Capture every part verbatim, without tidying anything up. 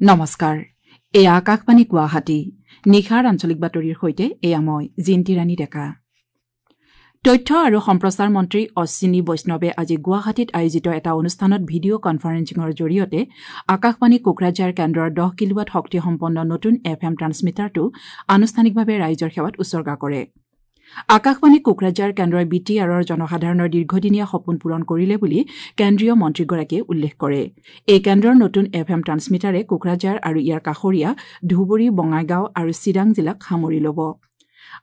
নমস্কাৰ, এয়া আকাশবাণী গুৱাহাটী। নিশাৰ আঞ্চলিক বাতৰিৰ সৈতে এয়া মই জিন্তি ৰাণী ডেকা। তথ্য আৰু সম্প্ৰচাৰ মন্ত্ৰী অশ্বিনী বৈষ্ণৱে আজি গুৱাহাটীত আয়োজিত এটা অনুষ্ঠানত ভিডিঅ' কনফাৰেন্সিঙৰ জৰিয়তে আকাশবাণী কোকৰাঝাৰ কেন্দ্ৰৰ দহ কিলোৱাট শক্তিসম্পন্ন নতুন এফ এম ট্ৰান্সমিটাৰটো আনুষ্ঠানিকভাৱে ৰাইজৰ সেৱাত উছৰ্গা কৰে। আকাশবাণী কোকৰাঝাৰ কেন্দ্ৰই বি টি আৰৰ জনসাধাৰণৰ দীৰ্ঘদিনীয়া সপোন পূৰণ কৰিলে বুলি কেন্দ্ৰীয় মন্ত্ৰীগৰাকীয়ে উল্লেখ কৰে। এই কেন্দ্ৰৰ নতুন এফ এম ট্ৰান্সমিটাৰে কোকৰাঝাৰ আৰু ইয়াৰ কাষৰীয়া ধুবুৰী, বঙাইগাঁও আৰু চিৰাং জিলাক সামৰি ল'ব।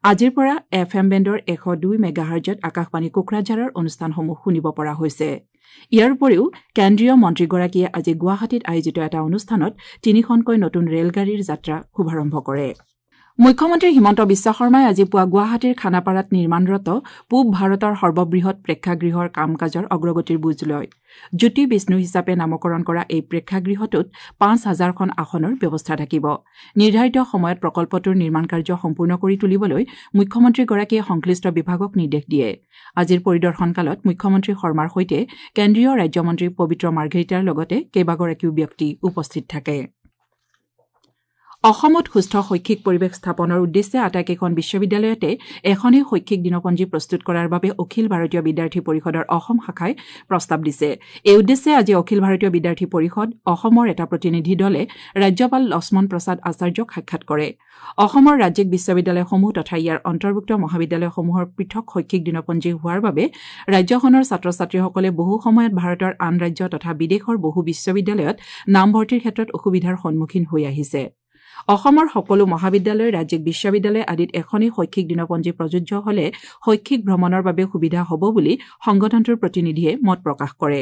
আজিৰ পৰা এফ এম বেণ্ডৰ এশ দুই মেগাহাৰ্জত আকাশবাণী কোকৰাঝাৰৰ অনুষ্ঠানসমূহ শুনিব পৰা হৈছে। ইয়াৰ উপৰিও কেন্দ্ৰীয় মন্ত্ৰীগৰাকীয়ে আজি গুৱাহাটীত আয়োজিত এটা অনুষ্ঠানত তিনিখনকৈ নতুন ৰেলগাড়ীৰ যাত্ৰা শুভাৰম্ভ কৰে। মুখ্যমন্ত্ৰী হিমন্ত বিশ্ব শৰ্মাই আজি পুৱা গুৱাহাটীৰ খানাপাৰাত নিৰ্মাণৰত পূব ভাৰতৰ সৰ্ববৃহৎ প্ৰেক্ষাগৃহৰ কাম কাজৰ অগ্ৰগতিৰ বুজ লয়। জ্যোতি বিষ্ণু হিচাপে নামকৰণ কৰা এই প্ৰেক্ষাগৃহটোত পাঁচ হাজাৰখন আসনৰ ব্যৱস্থা থাকিব। নিৰ্ধাৰিত সময়ত প্ৰকল্পটোৰ নিৰ্মাণ কাৰ্য সম্পূৰ্ণ কৰি তুলিবলৈ মুখ্যমন্ত্ৰীগৰাকীয়ে সংশ্লিষ্ট বিভাগক নিৰ্দেশ দিয়ে। আজিৰ পৰিদৰ্শনকালত মুখ্যমন্ত্ৰী শৰ্মাৰ সৈতে কেন্দ্ৰীয় ৰাজ্যমন্ত্ৰী পবিত্ৰ মাৰ্ঘেৰিটাৰ লগতে কেইবাগৰাকীও ব্যক্তি উপস্থিত থাকে। অসমত সুস্থ শৈক্ষিক পৰিৱেশ স্থাপনৰ উদ্দেশ্যে আটাইকেইখন বিশ্ববিদ্যালয়তে এখনেই শৈক্ষিক দিনপঞ্জী প্ৰস্তুত কৰাৰ বাবে অখিল ভাৰতীয় বিদ্যাৰ্থী পৰিষদৰ অসম শাখাই প্ৰস্তাৱ দিছে। এই উদ্দেশ্যে আজি অখিল ভাৰতীয় বিদ্যাৰ্থী পৰিষদ অসমৰ এটা প্ৰতিনিধি দলে ৰাজ্যপাল লক্ষ্মণ প্ৰসাদ আচাৰ্যক সাক্ষাৎ কৰে। অসমৰ ৰাজ্যিক বিশ্ববিদ্যালয়সমূহ তথা ইয়াৰ অন্তৰ্ভুক্ত মহাবিদ্যালয়সমূহৰ পৃথক শৈক্ষিক দিনপঞ্জী হোৱাৰ বাবে ৰাজ্যখনৰ ছাত্ৰ ছাত্ৰীসকলে বহু সময়ত ভাৰতৰ আন ৰাজ্য তথা বিদেশৰ বহু বিশ্ববিদ্যালয়ত নামভৰ্তিৰ ক্ষেত্ৰত অসুবিধাৰ সন্মুখীন হৈ আহিছে। অসমৰ সকলো মহাবিদ্যালয়, ৰাজ্যিক বিশ্ববিদ্যালয় আদিত এখনেই শৈক্ষিক দিনপঞ্জী প্ৰযোজ্য হলে শৈক্ষিক ভ্ৰমণৰ বাবে সুবিধা হ'ব বুলি সংগঠনটোৰ প্ৰতিনিধিয়ে মত প্ৰকাশ কৰে।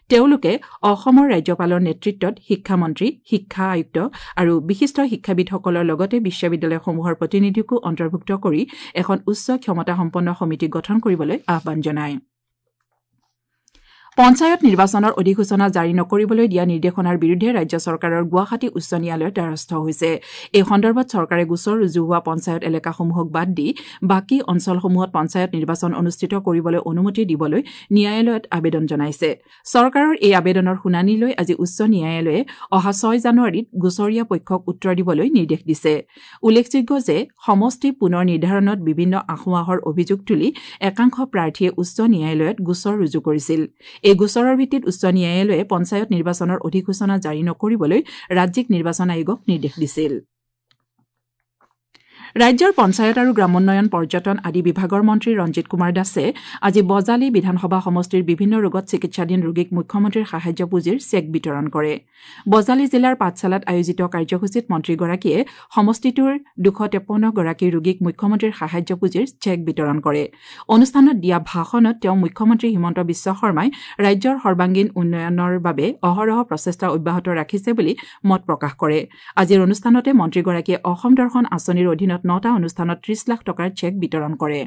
তেওঁলোকে অসমৰ ৰাজ্যপালৰ নেতৃত্বত শিক্ষামন্ত্ৰী, শিক্ষা আয়ুক্ত আৰু বিশিষ্ট শিক্ষাবিদসকলৰ লগতে বিশ্ববিদ্যালয়সমূহৰ প্ৰতিনিধিকো অন্তৰ্ভুক্ত কৰি এখন উচ্চ ক্ষমতাসম্পন্ন সমিতি গঠন কৰিবলৈ আহ্বান জনায়। পঞ্চায়ত নিৰ্বাচনৰ অধিসূচনা জাৰি নকৰিবলৈ দিয়া নিৰ্দেশনাৰ বিৰুদ্ধে ৰাজ্য চৰকাৰৰ গুৱাহাটী উচ্চ ন্যায়ালয়ৰ দ্বাৰস্থ হৈছে। এই সন্দৰ্ভত চৰকাৰে গোচৰ ৰুজু হোৱা পঞ্চায়ত এলেকাসমূহক বাদ দি বাকী অঞ্চলসমূহত পঞ্চায়ত নিৰ্বাচন অনুষ্ঠিত কৰিবলৈ অনুমতি দিবলৈ ন্যায়ালয়ত আবেদন জনাইছে। চৰকাৰৰ এই আবেদনৰ শুনানি লৈ আজি উচ্চ ন্যায়ালয়ে অহা ছয় জানুৱাৰীত গোচৰীয়া পক্ষক উত্তৰ দিবলৈ নিৰ্দেশ দিছে। উল্লেখযোগ্য যে সমষ্টি পুনৰ নিৰ্ধাৰণত বিভিন্ন আসোঁৱাহৰ অভিযোগ তুলি একাংশ প্ৰাৰ্থীয়ে উচ্চ ন্যায়ালয়ত গোচৰ ৰুজু কৰিছিল। এই গোচৰৰ ভিত্তিত উচ্চ ন্যায়ালয়ে পঞ্চায়ত নিৰ্বাচনৰ অধিসূচনা জাৰি নকৰিবলৈ ৰাজ্যিক নিৰ্বাচন আয়োগক নিৰ্দেশ দিছিল। ৰাজ্যৰ পঞ্চায়ত আৰু গ্ৰামোন্নয়ন, পৰ্যটন আদি বিভাগৰ মন্ত্ৰী ৰঞ্জিত কুমাৰ দাসে আজি বজালী বিধানসভা সমষ্টিৰ বিভিন্ন ৰোগত চিকিৎসাধীন ৰোগীক মুখ্যমন্ত্ৰীৰ সাহায্য পুঁজিৰ চেক বিতৰণ কৰে। বজালী জিলাৰ পাঠশালাত আয়োজিত কাৰ্যসূচীত মন্ত্ৰীগৰাকীয়ে সমষ্টিটোৰ দুশ তেপন্নগৰাকী ৰোগীক মুখ্যমন্ত্ৰীৰ সাহায্য পুঁজিৰ চেক বিতৰণ কৰে। অনুষ্ঠানত দিয়া ভাষণত তেওঁ মুখ্যমন্ত্ৰী হিমন্ত বিশ্ব শৰ্মাই ৰাজ্যৰ সৰ্বাংগীন উন্নয়নৰ বাবে অহৰহ প্ৰচেষ্টা অব্যাহত ৰাখিছে বুলি মত প্ৰকাশ কৰে। আজিৰ অনুষ্ঠানতে মন্ত্ৰীগৰাকীয়ে অসম দৰ্শন আঁচনিৰ অধীনত নটা অনুষ্ঠানত ত্ৰিশ লাখ টকাৰ চেক বিতৰণ কৰে।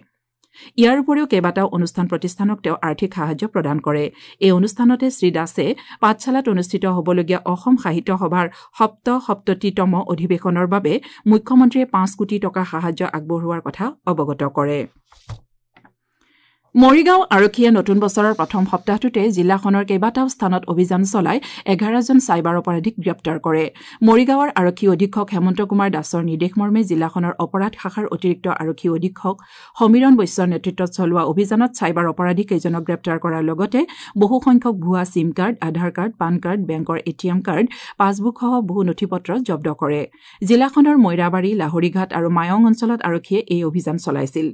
ইয়াৰ উপৰিও কেইবাটাও অনুষ্ঠান প্ৰতিষ্ঠানক তেওঁ আৰ্থিক সাহায্য প্ৰদান কৰে। এই অনুষ্ঠানতে শ্ৰীদাসে পাঠশালাত অনুষ্ঠিত হ'বলগীয়া অসম সাহিত্য সভাৰ সপ্তসপ্ততিতম অধিৱেশনৰ বাবে মুখ্যমন্ত্ৰীয়ে পাঁচ কোটি টকা সাহায্য আগবঢ়োৱাৰ কথা অৱগত কৰে। মৰিগাঁও আৰক্ষীয়ে নতুন বছৰৰ প্ৰথম সপ্তাহটোতে জিলাখনৰ কেইবাটাও স্থানত অভিযান চলাই এঘাৰজন চাইবাৰ অপৰাধীক গ্ৰেপ্তাৰ কৰে। মৰিগাঁৱৰ আৰক্ষী অধীক্ষক হেমন্ত কুমাৰ দাসৰ নিৰ্দেশমৰ্মে জিলাখনৰ অপৰাধ শাখাৰ অতিৰিক্ত আৰক্ষী অধীক্ষক সমীৰণ বৈশ্যৰ নেতৃত্বত চলোৱা অভিযানত চাইবাৰ অপৰাধীকেইজনক গ্ৰেপ্তাৰ কৰাৰ লগতে বহুসংখ্যক ভুৱা SIM card, Aadhaar card, PAN card, বেংকৰ এ টি এম কাৰ্ড, পাছবুকসহ বহু নথি পত্ৰ জব্দ কৰে। জিলাখনৰ মৈৰাবাৰী, লাহৰীঘাট আৰু মায়ং অঞ্চলত আৰক্ষীয়ে এই অভিযান চলাইছিল।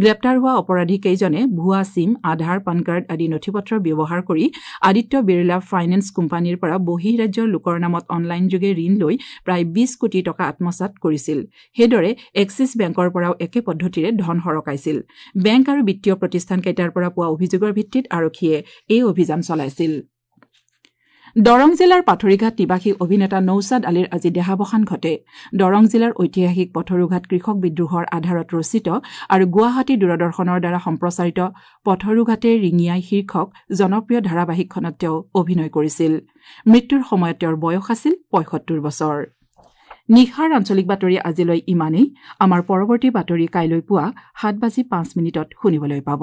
গ্ৰেপ্তাৰ হোৱা অপৰাধীকেইজনে ভুৱা চিম, আধাৰ, পান কাৰ্ড আদি নথিপত্ৰ ব্যৱহাৰ কৰি আদিত্য বিৰলা ফাইনেন্স কোম্পানীৰ পৰা বহিঃৰাজ্যৰ লোকৰ নামত অনলাইনযোগে ঋণ লৈ প্ৰায় বিশ কোটি টকা আত্মসাৎ কৰিছিল। সেইদৰে এক্সিছ বেংকৰ পৰাও একে পদ্ধতিৰে ধন সৰকাইছিল। বেংক আৰু বিত্তীয় প্ৰতিষ্ঠানকেইটাৰ পৰা পোৱা অভিযোগৰ ভিত্তিত আৰক্ষীয়ে এই অভিযান চলাইছিল। দৰং জিলাৰ পাথৰিঘাট নিবাসী অভিনেতা নৌচাদ আলীৰ আজি দেহাৱসান ঘটে। দৰং জিলাৰ ঐতিহাসিক পথৰুঘাট কৃষক বিদ্ৰোহৰ আধাৰত ৰচিত আৰু গুৱাহাটী দূৰদৰ্শনৰ দ্বাৰা সম্প্ৰচাৰিত পথৰুঘাটে ৰিঙিয়াই শীৰ্ষক জনপ্ৰিয় ধাৰাবাহিকখনত তেওঁ অভিনয় কৰিছিল। মৃত্যুৰ সময়ত তেওঁৰ বয়স আছিল পঁয়সত্তৰ বছৰ। নিশাৰ আঞ্চলিক বাতৰি আজিলৈ ইমানেই। আমাৰ পৰৱৰ্তী বাতৰি কাইলৈ পুৱা সাত বাজি পাঁচ মিনিটত শুনিবলৈ পাব।